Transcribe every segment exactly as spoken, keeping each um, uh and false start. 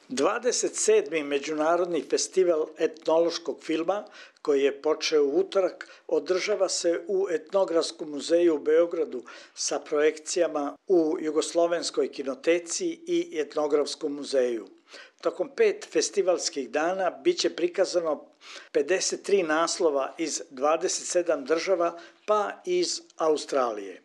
dvadeset sedmi Međunarodni festival etnološkog filma, koji je počeo u utorak, održava se u Etnografskom muzeju u Beogradu sa projekcijama u Jugoslovenskoj kinoteci i Etnografskom muzeju. Tokom pet festivalskih dana biće prikazano pedeset tri naslova iz dvadeset sedam država pa iz Australije.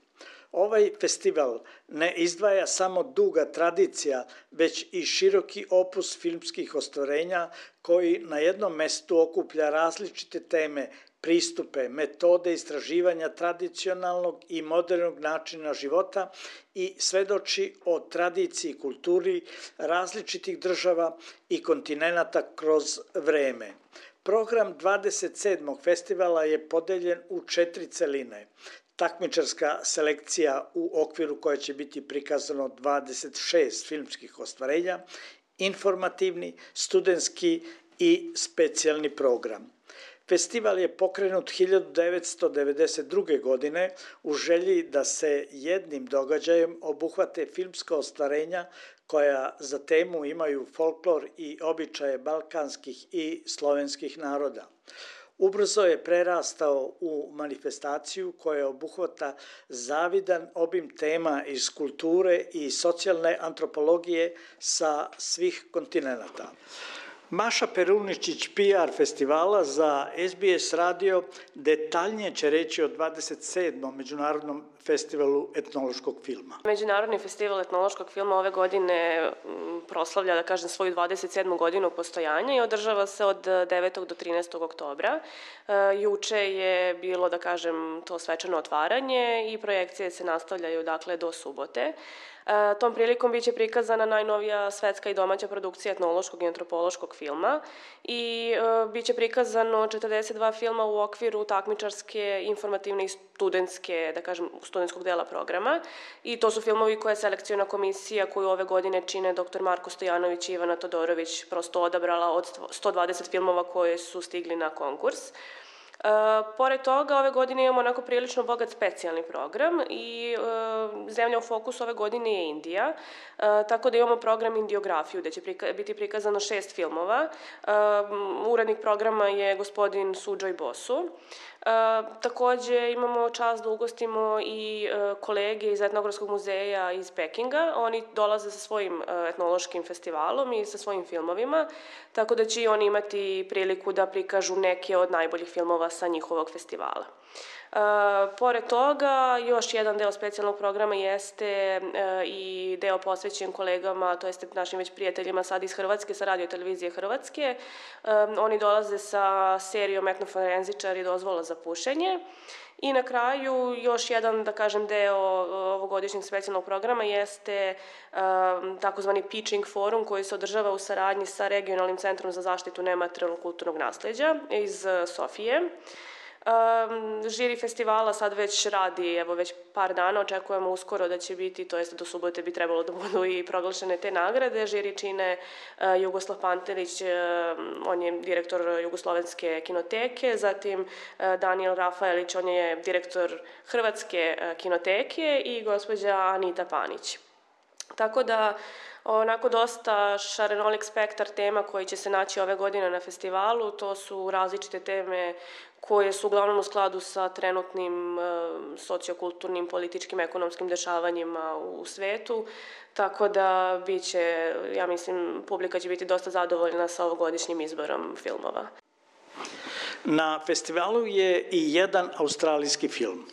Ovaj festival ne izdvaja samo duga tradicija, već i široki opus filmskih ostvarenja koji na jednom mestu okuplja različite teme, pristupe, metode istraživanja tradicionalnog i modernog načina života i svedoči o tradiciji i kulturi različitih država i kontinenata kroz vreme. Program dvadeset sedmog festivala je podeljen u četiri celine. Takmičarska selekcija u okviru koje će biti prikazano dvadeset šest filmskih ostvarenja, informativni, studentski i specijalni program. Festival je pokrenut hiljadu devetsto devedeset druge. godine u želji da se jednim događajem obuhvate filmska ostvarenja koja za temu imaju folklor i običaje balkanskih i slovenskih naroda. Ubrzo je prerastao u manifestaciju koja obuhvata zavidan obim tema iz kulture i socijalne antropologije sa svih kontinenata. Maša Peruničić, P R festivala za S B S radio, detaljnije će reći o dvadeset sedmom Međunarodnom festivalu etnološkog filma. Međunarodni festival etnološkog filma ove godine proslavlja, da kažem, svoju dvadeset sedmu godinu postojanja i održava se od devetog do trinaestog oktobra. Juče je bilo, da kažem, to svečano otvaranje i projekcije se nastavljaju, dakle, do subote. Tom prilikom biće prikazana najnovija svetska i domaća produkcija etnološkog i antropološkog filma i biće prikazano četrdeset dva filma u okviru takmičarske, informativne i studentske, da kažem, studentskog dela programa. I to su filmovi koje je selekciona komisija koju ove godine čine doktor Marko Stojanović i Ivana Todorović prosto odabrala od sto dvadeset filmova koje su stigli na konkurs. Uh, pored toga, ove godine imamo onako prilično bogat specijalni program i uh, zemlja u fokusu ove godine je Indija, uh, tako da imamo program Indiografiju, gde će prika biti prikazano šest filmova. Uh, urednik programa je gospodin Sujoy Bosu. Uh, takođe imamo čast da ugostimo i uh, kolege iz Etnografskog muzeja iz Pekinga. Oni dolaze sa svojim uh, etnološkim festivalom i sa svojim filmovima, tako da će i oni imati priliku da prikažu neke od najboljih filmova sa njihovog festivala. Uh, pored toga, još jedan deo specijalnog programa jeste uh, i deo posvećen kolegama, to jeste našim već prijateljima sad iz Hrvatske, sa radio televizije Hrvatske. Uh, oni dolaze sa serijom Etnoforenzičari dozvola za pušenje. I na kraju, još jedan, da kažem, deo ovogodišnjeg specijalnog programa jeste um, takozvani Pitching forum koji se održava u saradnji sa Regionalnim centrom za zaštitu nematerijalnog kulturnog nasleđa iz uh, Sofije. Um, žiri festivala sad već radi, evo već par dana, očekujemo uskoro da će biti, to jest do subote bi trebalo da budu i proglašene te nagrade. Žiri čine uh, Jugoslav Pantelić, uh, on je direktor Jugoslovenske kinoteke, zatim uh, Daniel Rafaelić, on je direktor Hrvatske uh, kinoteke i gospođa Anita Panić. Tako da, onako dosta šarenolik spektar tema koji će se naći ove godine na festivalu, to su različite teme koje su uglavnom u skladu sa trenutnim e, sociokulturnim, političkim, ekonomskim dešavanjima u svetu, tako da biće, ja mislim, publika će biti dosta zadovoljna sa ovogodišnjim izborom filmova. Na festivalu je i jedan australijski film.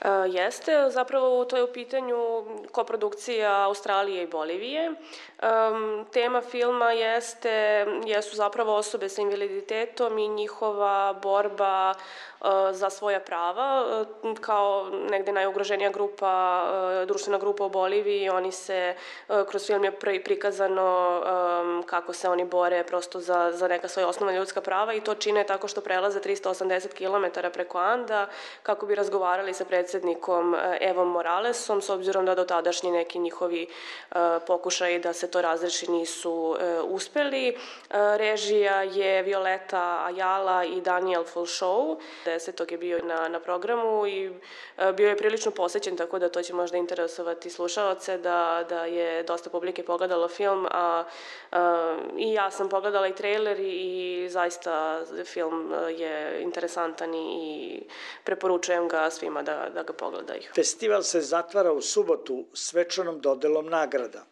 Uh, jeste, zapravo to je u pitanju koprodukcija Australije i Bolivije. Um, tema filma jeste, jesu zapravo osobe sa invaliditetom i njihova borba uh, za svoja prava. Uh, kao negde najugroženija grupa, uh, društvena grupa u Boliviji, oni se, uh, kroz film je prikazano um, kako se oni bore prosto za, za neka svoja osnovna ljudska prava i to čine tako što prelaze trista osamdeset kilometara preko Anda kako bi razgovarali sa predsjednikom Evom Moralesom, s obzirom da do tadašnji neki njihovi uh, pokušaji da se to razreši nisu uspeli. Režija je Violeta Ayala i Daniel Fulšou. desetog je bio na, na programu i bio je prilično posećen, tako da to će možda interesovati slušaoce, da, da je dosta publike pogledalo film, a, a i ja sam pogledala i trailer i, i zaista film je interesantan i preporučujem ga svima da, da ga pogledaju. Festival se zatvara u subotu svečanom dodelom nagrada.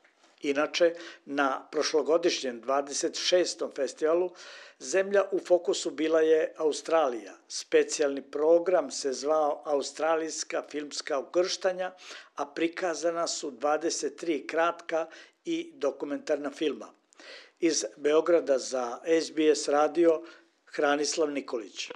Inače, na prošlogodišnjem dvadeset šestom festivalu zemlja u fokusu bila je Australija. Specijalni program se zvao Australijska filmska ukrštanja, a prikazana su dvadeset tri kratka i dokumentarna filma. Iz Beograda za S B S radio Hranislav Nikolić.